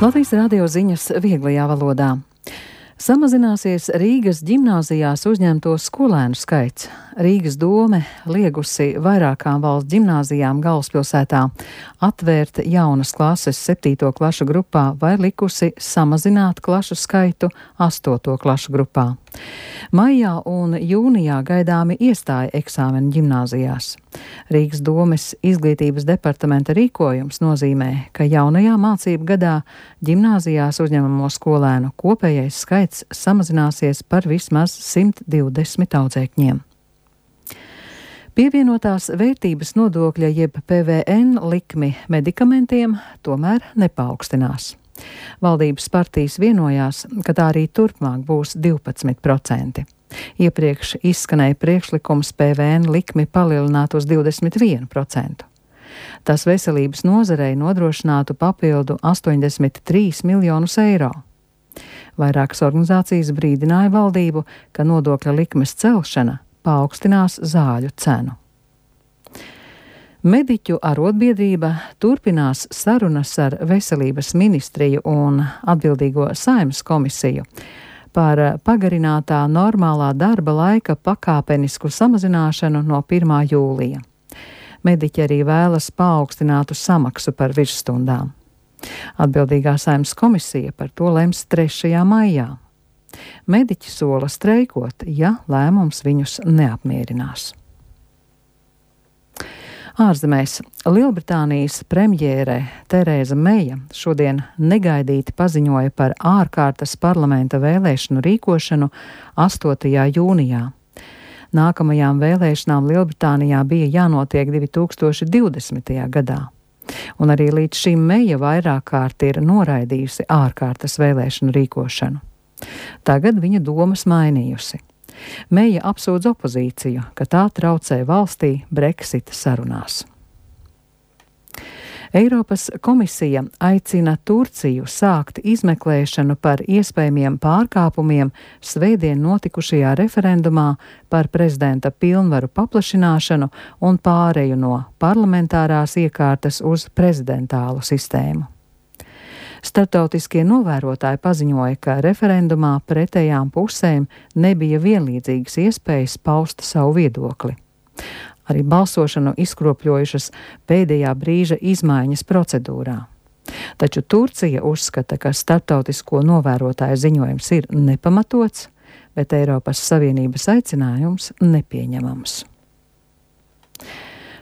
Latvijas radio ziņas vieglajā valodā. Samazināsies Rīgas ģimnāzijās uzņemto skolēnu skaits. Rīgas dome liegusi vairākām valsts ģimnāzijām galvaspilsētā atvērt jaunas klases 7. klašu grupā vai likusi samazināt klašu skaitu 8. klašu grupā. Maijā un jūnijā gaidāmi iestāja eksāmeni ģimnāzijās. Rīgas domes izglītības departamenta rīkojums nozīmē, ka jaunajā mācību gadā ģimnāzijās uzņemamo skolēnu kopējais skaits samazināsies par vismaz 120 audzēkņiem. Pievienotās vērtības nodokļa jeb PVN likmi medikamentiem tomēr nepaukstinās. Valdības partijas vienojās, ka tā arī turpmāk būs 12%. Iepriekš izskanēja priekšlikums PVN likmi palielināt uz 21%. Tas veselības nozarei nodrošinātu papildu 83 miljonus eiro. Vairākas organizācijas brīdināja valdību, ka nodokļa likmes celšana paaugstinās zāļu cenu. Mediķu arotbiedrība turpinās sarunas ar Veselības ministriju un atbildīgo Saeimas komisiju par pagarinātā normālā darba laika pakāpenisku samazināšanu no 1. jūlija. Mediķi arī vēlas paaugstinātu samaksu par virsstundām. Atbildīgā Saeimas komisija par to lems 3. maijā. Mediķi sola streikot, ja lēmums viņus neapmierinās. Ārzemēs Lielbritānijas premjere Terēza Meija šodien negaidīti paziņoja par ārkārtas parlamenta vēlēšanu rīkošanu 8. jūnijā. Nākamajām vēlēšanām Lielbritānijā bija jānotiek 2020. gadā. Un arī līdz šim Meija vairāk kārt ir noraidījusi ārkārtas vēlēšanu rīkošanu. Tagad viņa domas mainījusi. Meija apsūdz opozīciju, ka tā traucē valstī Brexita sarunās. Eiropas komisija aicina Turciju sākt izmeklēšanu par iespējamiem pārkāpumiem svētdien notikušajā referendumā par prezidenta pilnvaru paplašināšanu un pāreju no parlamentārās iekārtas uz prezidentālu sistēmu. Starptautiskie novērotāji paziņoja, ka referendumā pretējām pusēm nebija vienlīdzīgas iespējas paust savu viedokli. Arī balsošanu izkropļojušas pēdējā brīža izmaiņas procedūrā. Taču Turcija uzskata, ka starptautisko novērotāju ziņojums ir nepamatots, bet Eiropas Savienības aicinājums nepieņemams.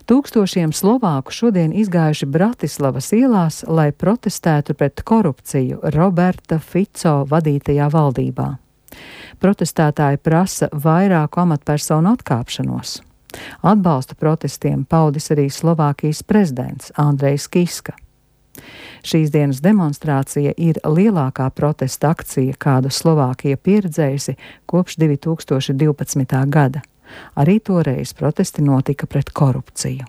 Tūkstošiem Slovāku šodien izgājuši Bratislavas ielās, lai protestētu pret korupciju Roberta Fico vadītajā valdībā. Protestētāji prasa vairāku amatpersonu atkāpšanos. Atbalstu protestiem paudis arī Slovākijas prezidents Andrejs Kiska. Šīs dienas demonstrācija ir lielākā protesta akcija, kādu Slovākija pieredzējusi kopš 2012. gada. Arī toreiz protesti notika pret korupciju.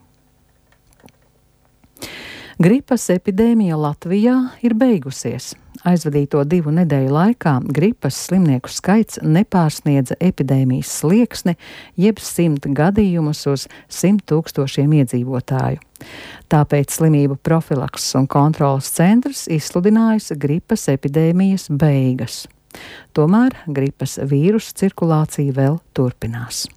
Gripas epidēmija Latvijā ir beigusies. Aizvadīto 2 nedēļu laikā gripas slimnieku skaits nepārsniedza epidēmijas slieksni, jeb 100 gadījumus uz 100 000 iedzīvotāju. Tāpēc slimību profilakses un kontrolas centrs izsludinājis gripas epidēmijas beigas. Tomēr gripas vīrusu cirkulācija vēl turpinās.